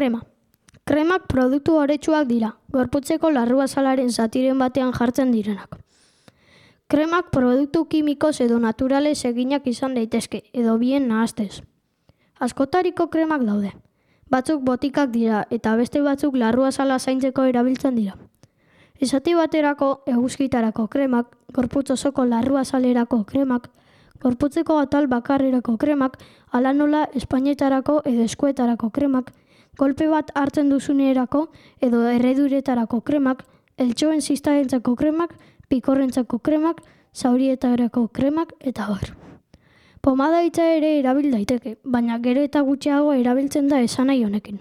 Krema. Kremak produktu oretsuak dira, gorputzeko larruazalaren zatiren batean jartzen direnak. Kremak produktu kimikoz edo naturalez eginak izan daitezke, edo bien nahastez. Askotariko kremak daude. Batzuk botikak dira eta beste batzuk larruazala zaintzeko erabiltzen dira. Esati baterako eguzkitarako kremak, gorputz osoko larruazalerako kremak, gorputzeko atal bakarrerako kremak, hala nola espainetarako edo eskuetarako kremak, kolpe bat hartzen duzunerako edo erreduretarako kremak, eltxoen ziztarentzako kremak, pikorrentzako kremak, zaurietarako kremak eta bar. Pomada hitza ere erabil daiteke, baina gero eta gutxiago erabiltzen da esanahi honekin.